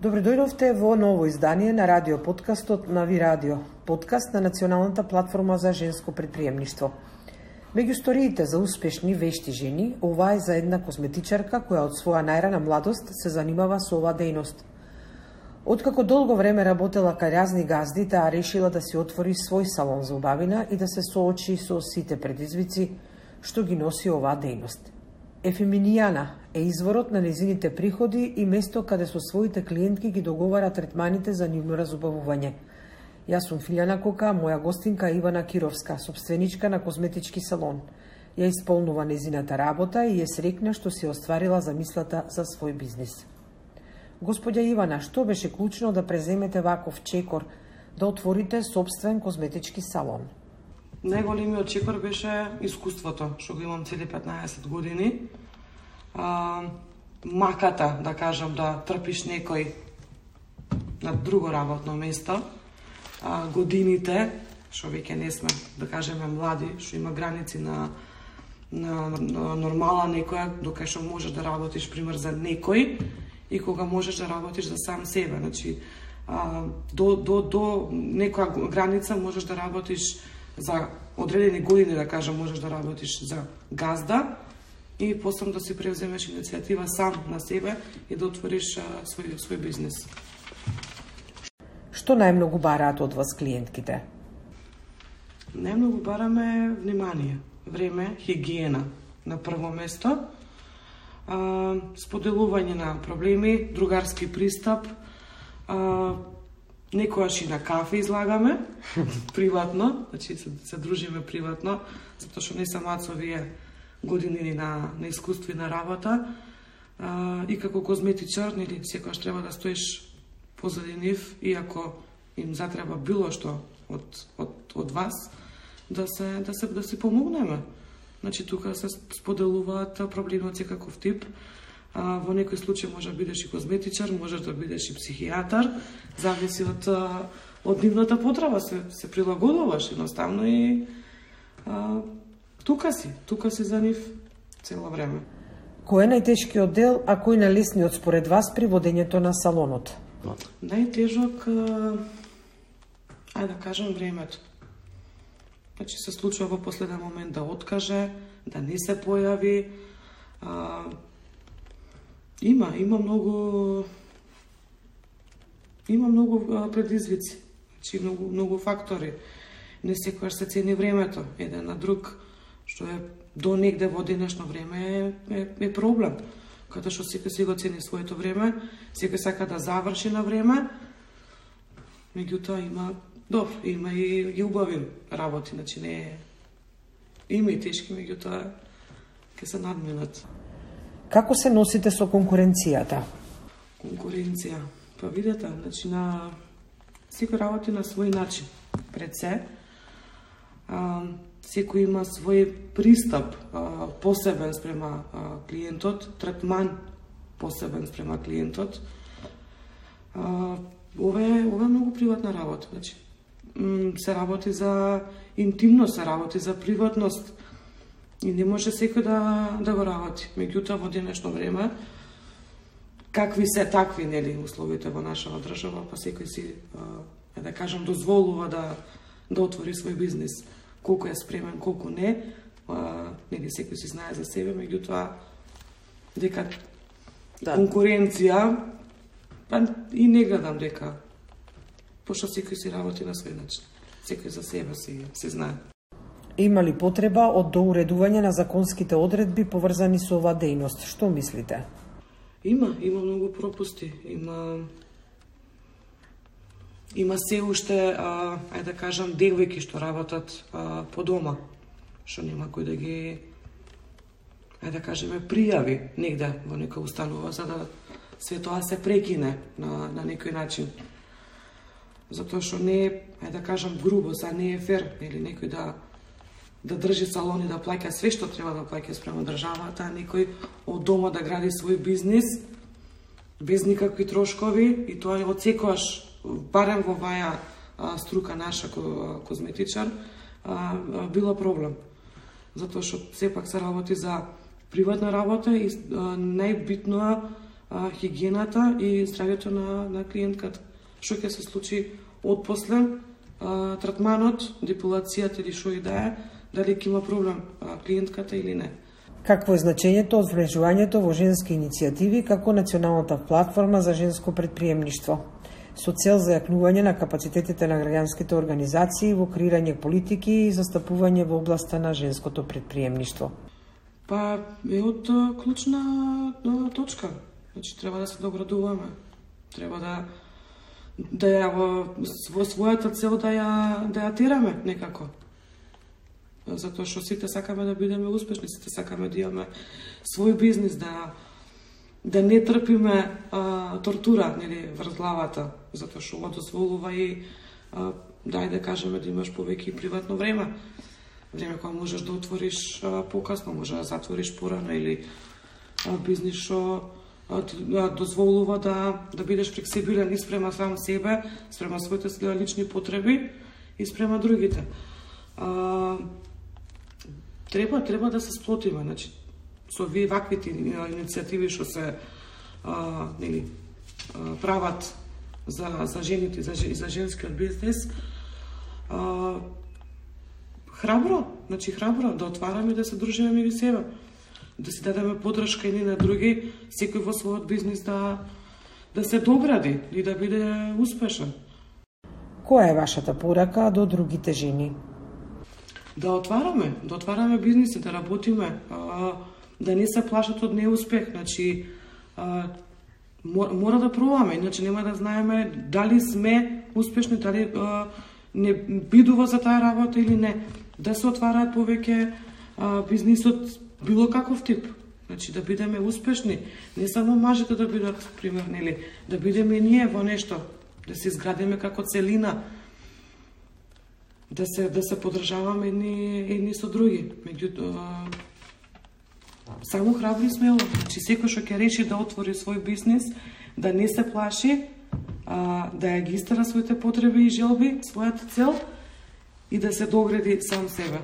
Добре дојдовте во ново издание на радио подкастот на Ви Радио, подкаст на Националната платформа за женско предприемништво. Меѓу сториите за успешни вешти жени, ова е за една козметичарка која од своја најрана младост се занимава со оваа дејност. Откако долго време работела кај разни газди, таа решила да си отвори свој салон за убавина и да се соочи со сите предизвици што ги носи оваа дејност. Ефеминијана е изворот на незините приходи и место каде со своите клиентки ги договара третманите за нивно разубавување. Јас сум Филјана Кока, моја гостинка Ивана Кировска, собственичка на козметички салон. Ја исполнува незината работа и е срекна што си остварила замислата за свој бизнис. Господја Ивана, што беше клучно да преземете ваков чекор, да отворите собствен козметички салон? Најголемиот чекор беше искуството, што го имам цели 15 години. Маката, да кажам, да трпиш некој на друго работно место. Годините, што веќе не сме, да кажеме, млади, што има граници на нормала некоја, докај што можеш да работиш, пример, за некој, и кога можеш да работиш за сам себе. Значи, до некоја граница можеш да работиш за одредени години, да кажам, можеш да работиш за газда и после да си превземеш иницијатива сам на себе и да отвориш свој бизнес. Што најмногу бараат од вас клиентките? Најмногу бараме внимание, време, хигиена на прво место, споделување на проблеми, другарски пристап, некојаш и на кафе излагаме, приватно, значи се дружиме приватно, затоа што не самат со овие години на искуство и на работа, и како козметичар, нели, секојаш треба да стоиш позади нив, и ако им затреба било што од вас, да си помогнеме. Значи, тука се споделуваат проблеми од секаков тип. Во некој случај може да бидеш и козметичар, можеш да бидеш и психијатар, зависи од нивната потреба, се прилагодуваш едноставно и тука си за нив цело време. Кој е најтешкиот дел, а кој најлесниот според вас при водењето на салонот? Најтежок, да кажам, времето. Значи, се случува во последен момент да откаже, да не се појави. Има многу предизвици, значи многу фактори. Не секојаш се цени времето, еден на друг, што е до негде во денешно време е проблем. Каде што секој си го цени своето време, секој сака да заврши на време, меѓутоа има и убави работи, значи не е... Има и тешки, меѓутоа ќе се надминат. Како се носите со конкуренцијата? Конкуренција, па видете, значи на секој работи на свој начин. Пред се, секој има свој пристап посебен спрема клиентот, третман посебен спрема клиентот. Ова е многу приватна работа, значи се работи за интимност, се работи за приватност и не може секој да го работи. Меѓутоа во денешно време, какви се такви, нели, условите во нашава држава, па секој си, да кажам, дозволува да отвори свој бизнес. Колку е спремен, колку не, нели, секој си знае за себе, меѓутоа дека конкуренција, па и не гледам дека, пошто секој си работи на свој начин. Секој за себе си знае. Има ли потреба од доуредување на законските одредби поврзани со оваа дејност? Што мислите? Има многу пропусти. Има се уште, да кажам, девојки што работат по дома, што нема кој да ги, да кажеме, пријави негде во некоја установа, за да се тоа се прекине на некој начин. Затоа што не е, да кажам, грубо, не е фер, или некој да држи салон и да плаќа све што треба да плаќа спрема државата, а некој од дома да гради свој бизнис без никакви трошкови, и тоа од секојаш, барем во ваја струка наша козметичар, било проблем. Затоа што сепак се работи за приватна работа и најбитно хигиената и здравјето на клиентката. Што ќе се случи отпосле третманот, депилацијата или што и да е, дали ќе има проблем клиентката или не. Какво е значењето од вмрежувањето во женски иницијативи како националната платформа за женско предприемништво, со цел за јакнување на капацитетите на граѓанските организации во креирање политики и застапување во областа на женското предприемништво? Па е од клучна точка. Значи треба да се доградуваме. Треба да ја во својата цел да ја тераме некако. Затоа што сите сакаме да бидеме успешни, сите сакаме да имаме свој бизнис, да не трпиме тортура, нели, врз главата, затоа што ова дозволува и да кажеме да имаш повеќе и приватно време. Време кога можеш да отвориш покасно, може да затвориш порано или бизнис што дозволува да бидеш флексибилен и спрема сам себе, спрема своите лични потреби и спрема другите. Треба да се сплотиме, значи со ваквите иницијативи што се прават за жените и за женскиот бизнис. Храбро да отвараме и да се дружиме меѓу себе, да си дадеме подршка едни на други, секој во својот бизнис да се догради и да биде успешен. Која е вашата порака до другите жени? Да отвараме бизниси, да работиме, да не се плашат од неуспех, значи мора да пробаме, иначе нема да знаеме дали сме успешни, дали не бидува за таа работа или не. Да се отвараат повеќе бизнисот било каков тип, значи да бидеме успешни, не само мажите да бидат пример, нели, да бидеме и ние во нешто, да се изградиме како целина, да се поддржаваме едни со други. Меѓутоа, само храбри смело. Значи, секој што ќе реши да отвори свој бизнис, да не се плаши, да ја ги истера своите потреби и желби, својата цел и да се догради сам себе.